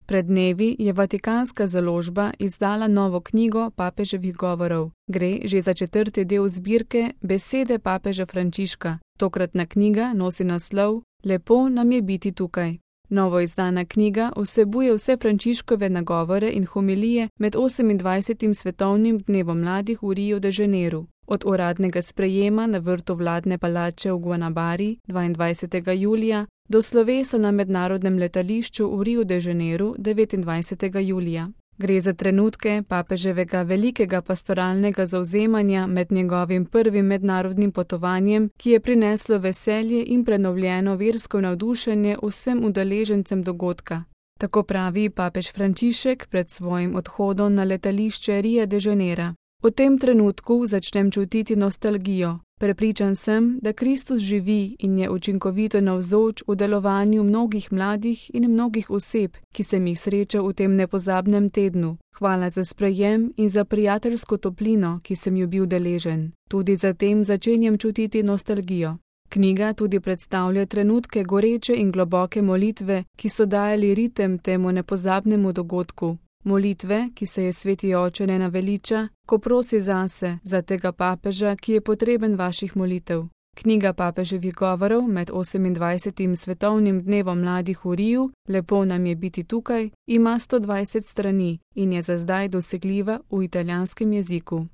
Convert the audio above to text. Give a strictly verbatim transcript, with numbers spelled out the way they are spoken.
Pred dnevi je Vatikanska založba izdala novo knjigo papeževih govorov. Gre že za četrti del zbirke Besede papeža Frančiška. Tokratna knjiga nosi naslov Lepo nam je biti tukaj. Novo izdana knjiga vsebuje vse Frančiškove nagovore in homilije med osemindvajsetim svetovnim dnevom mladih v Riu de Janeiru. Od uradnega sprejema na vrtu vladne palače v Guanabari dvaindvajsetega julija do slovesa na mednarodnem letališču v Riu de Janeiru devetindvajsetega julija. Gre za trenutke papeževega velikega pastoralnega zavzemanja med njegovim prvim mednarodnim potovanjem, ki je prineslo veselje in prenovljeno versko navdušenje vsem udeležencem dogodka. Tako pravi papež Frančišek pred svojim odhodom na letališče Ria de Janeira. V tem trenutku začnem čutiti nostalgijo. Prepričan sem, da Kristus živi in je učinkovito navzoč v delovanju mnogih mladih in mnogih oseb, ki sem jih srečal v tem nepozabnem tednu. Hvala za sprejem in za prijateljsko toplino, ki sem jo bil deležen. Tudi zatem začenjam čutiti nostalgijo. Knjiga tudi predstavlja trenutke goreče in globoke molitve, ki so dajali ritem temu nepozabnemu dogodku. Molitve, ki se je sveti oče ne naveliča, ko prosi zase, za tega papeža, ki je potreben vaših molitev. Knjiga papeževih govorov med osemindvajsetim svetovnim dnevom mladih v Riu, Lepo nam je biti tukaj, ima sto dvajset strani in je za zdaj dosegljiva v italijanskem jeziku.